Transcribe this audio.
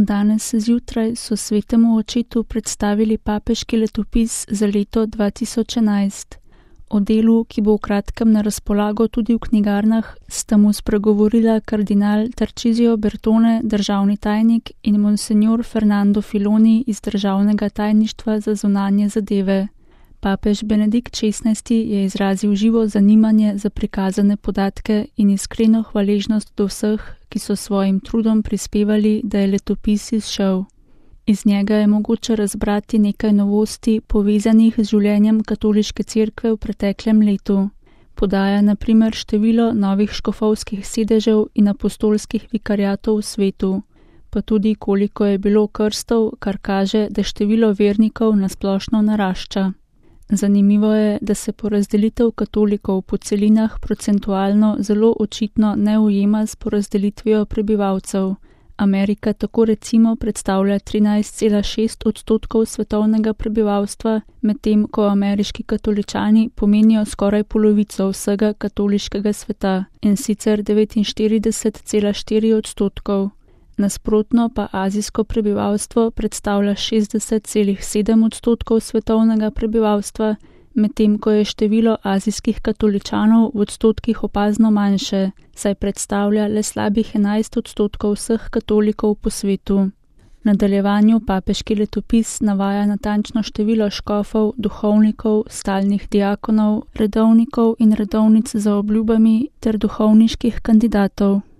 Danes zjutraj so svetemu očetu predstavili papeški letopis za leto 2011. O delu, ki bo v kratkem na razpolago tudi v knjigarnah, sta mu spregovorila kardinal Tarcisio Bertone, državni tajnik, in monsignor Fernando Filoni iz državnega tajništva za zunanje zadeve. Papež Benedikt XVI je izrazil živo zanimanje za prikazane podatke in iskreno hvaležnost do vseh, ki so svojim trudom prispevali, da je letopis izšel. Iz njega je mogoče razbrati nekaj novosti povezanih z življenjem katoliške cerkve v preteklem letu. Podaja na primer število novih škofovskih sedežev in apostolskih vikariatov v svetu, pa tudi koliko je bilo krstov, kar kaže, da število vernikov nasplošno narašča. Zanimivo je, da se porazdelitev katolikov po celinah procentualno zelo očitno ne ujema s porazdelitvijo prebivalcev. Amerika tako recimo predstavlja 13,6% svetovnega prebivalstva, medtem ko ameriški katoličani pomenijo skoraj polovico vsega katoliškega sveta, in sicer 49,4%. Nasprotno pa azijsko prebivalstvo predstavlja 60,7% svetovnega prebivalstva, medtem ko je število azijskih katoličanov v odstotkih opazno manjše, saj predstavlja le slabih 11% vseh katolikov po svetu. V nadaljevanju papeški letopis navaja natančno število škofov, duhovnikov, stalnih diakonov, redovnikov in redovnic za obljubami ter duhovniških kandidatov.